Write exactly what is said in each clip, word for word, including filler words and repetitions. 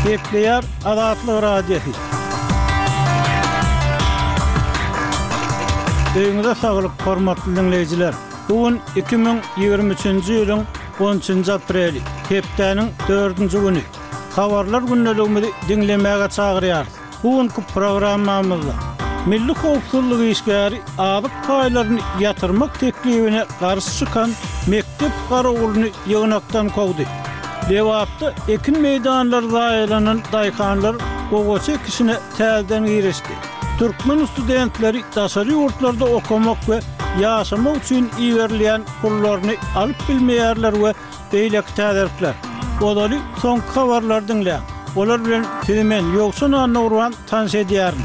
Gepleýär Azatlyk Radiosy. Öýüňize saglyk, hormatly diňleýjiler! Bu gün iki müň ýigrimi üçünji ýylyň on üçünji apreli, hepdäniň dördünji güni. Habarlar gündeligimizi diňlemäge çagyrýarys. Bu günki programmamyzda Milli howpsuzlyk işgäri azyk paýlaryny ýatyrmak teklibine garşy çykan mekdep garawulyny ýygnakdan kowdy. Lebapda ekin meýdanlary zaýalanan daýhanlar gowaça ekişine täzeden girişdi. Türkmen studentleri daşary ýurtlarda okamak we ýaşamak üçin iberilýän pullaryny alyp bilmeýärler we beýleki täzelikler. Ozaly soňky habarlary diňläň. Olar bilen sizi men, Ýowşan Annagurban tanyş edýärin.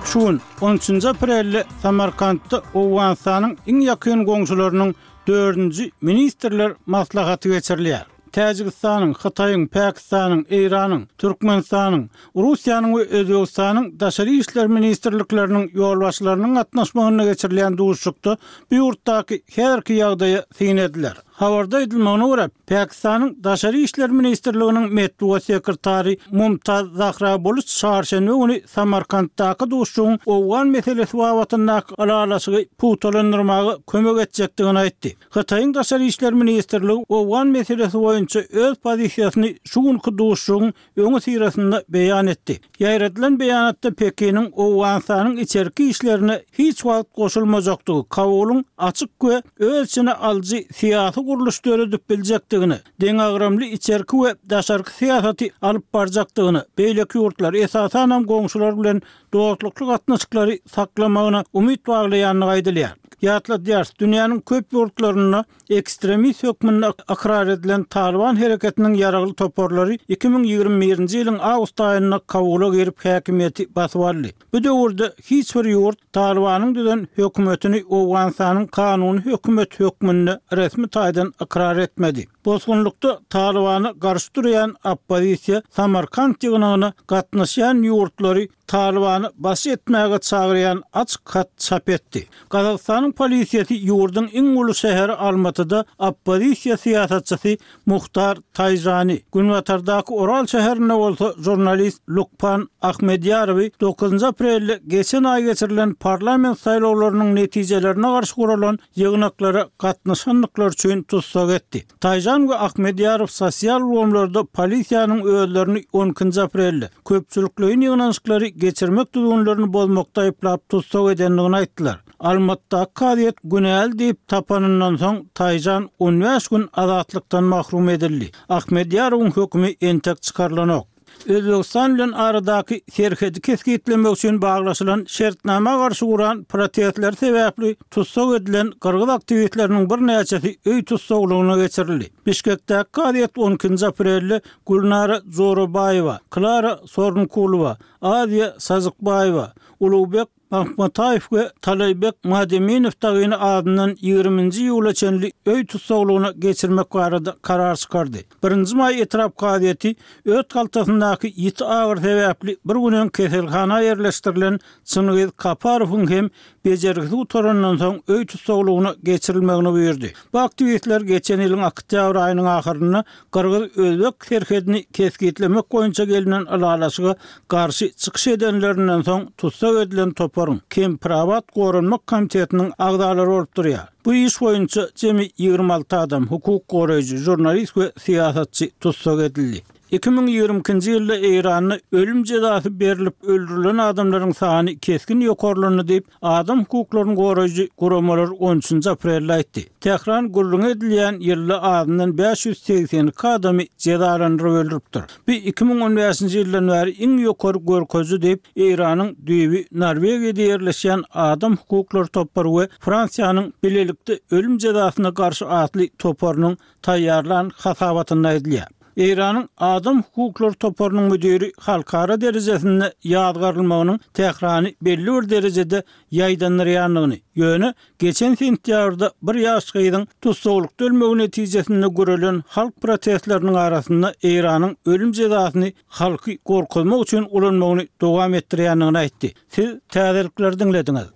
Şu gün, on üçünji aprelde Samarkantda Owganystanyň iň ýakyn goňşularynyň dördünji ministrler maslahaty geçirilýär. Täjigistanyň, Hytaýyň, Pakistanyň, Eýranyň, Türkmenistanyň, Russiýanyň we Özbegistanyň Daşary işler ministrlikleriniň ýolbaşçylarynyň gatnaşmagynda geçirilýän duşuşykda bu ýurtdaky häzirki ýagdaýa syn ediler. Habarda aýdylmagyna görä, Pakistanyň Daşary işler ministrliginiň metbugat sekretary Mumtaz Zahra Buluç çarşenbe güni Samarkantdaky duşuşygyň owgan meselesi babatyndaky ylalaşygy pugtalandyrmaga kömek etjekdigini aýtdy. Hytaýyň Daşary işler ministrligi owgan meselesi boýunça öz pozisiýasyny şu günki duşuşygyň öňüsyrasynda beýan etdi. Ýaýradylan beýanatda Pekiniň Owganystanyň içerki işlerine hiç wagt goşulmajakdygy, Kabulyň açyk we öz içine alyjy syýasy gurluş döredip biljekdigini, deňagramly içerki we daşarky syýasaty alyp barjakdygyny, beýleki ýurtlar, esasanam goňşular bilen dostlukly gatnaşyklary saklamagyna umyt baglaýandygy aýdylýar. Ýatladýarys, dünýäniň köp ýurtlarynda ekstremist hökmünde ykrar edilen Talyban hereketiniň ýaragly toparlary iki müň ýigrimi birinji ýylyň awgust aýynda Kabula girip häkimiýeti basyp aldy. Bu döwürde hiç bir ýurt Talybanyň düzen hökümetini Owganystanyň kanuny hökümeti hökmünde resmi taýdan ykrar etmedi. Bosgunlykda Talybana garşy durýan oppozisiýa Samarkant ýygnagyna gatnaşýan ýurtlary Talybany baş etmäge çagyrýan açyk hat çap etdi. Gazagystanyň polisiýasy ýurduň iň uly şäheri Almatyda oppozisiýa syýasatçysy Muhtar Taýžany, günbatardaky Oral şäherinde bolsa žurnalist Lukpan Ahmedýarowy dokuzynjy aprelde geçen aý geçirilen parlament saýlawlarynyň netijelerine garşy guralan ýygnaklara gatnaşandyklary üçin tussag etdi. Taýžan we Ahmedýarow sosial ulgamlarda polisiýanyň özlerini on ikinji aprelde köpçülikleýin ýygnanyşyklary geçirmek düzgünlerini bozmakda aýyplap tussag edendigini aýtdylar. Almatdaky kazyýet günäli diýip tapanyndan soň Taýžan on bäş gün azatlykdan mahrum edildi. Ahmedýarowyň hökümi entek çykarylanok. Özbegistan bilen aradaky serhedi kesgitlemek üçin baglaşylan şertnama garşy guran protestler sebäpli tussag edilen gyrgyz aktiwistleriniň birnäçesi öý tussaglygyna geçirildi. Bişkekdäki kazyýet on ikinji aprelde Gülnara Jorabaýewa, Klara Sorunkulowa, Aziýa Sazykbaýewa, Ulugbek Mahmataýew we Talaýbek Mademinow dagyny azyndan ýigriminji iýula çenli öý tussaglygyna geçirmek barada karar çykardy. Birinji maý etrap kazyýeti öt haltasyndaky ýiti agyry sebäpli bir gün öň keselhana ýerleşdirilen Çyngyz Kaparowyň hem bejergisi gutarandan soň öý tussaglygyna geçirilmegini buýurdy. Bu aktiwistler geçen ýylyň oktýabr aýynyň ahyrynda gyrgyz-özbek serhedini kesgitlemek boýunça gelnen ylalaşyga garşy çykyş edenlerinden soň tussag edilen toparyň Kempirabat goranmak komitetiniň agzalary bolup durýar. Bu iş boýunça jemi ýigrimi alty adam, hukuk goraýjy, žurnalist we syýasatçy tussag edildi. Iki müň ýigrimi ikinji ýylda Eýranda ölüm jezasy berlip öldürilen adamlaryň sany kesgin ýokarlandy diýip, adam hukuklaryny goraýjy guramalar on üçünji aprelde aýtdy. Tähran gürrüňi edilýän ýylda azyndan bäş ýüz segsen iki adamy jezalandyryp öldüripdir. Bu iki müň on bäşinji ýyldan bäri iň ýokary görkeziji diýip, Eýranyň düýbi Norwegiýada ýerleşýän adam hukuklary topary we Fransiýanyň Bilelikde ölüm jezasyna garşy atly toparynyň taýýarlan hasabatynda aýdylýar. Eýranyň adam hukuklary toparynyň müdiri halkara derejesinde ýazgarylmagynyň Tährany belli bir derejede ýaýdandyrýandygyny, ýöne geçen sentýabrda bir ýaş gyzyň tussaglykda ölmegi netijesinde gurelen halk protestleriniň arasynda Eýranyň ölüm jezasyny halky gorkuzmak üçin ulanmagyny dowam etdirýändigini aýtdy. Siz täzelikleri diňlediňiz.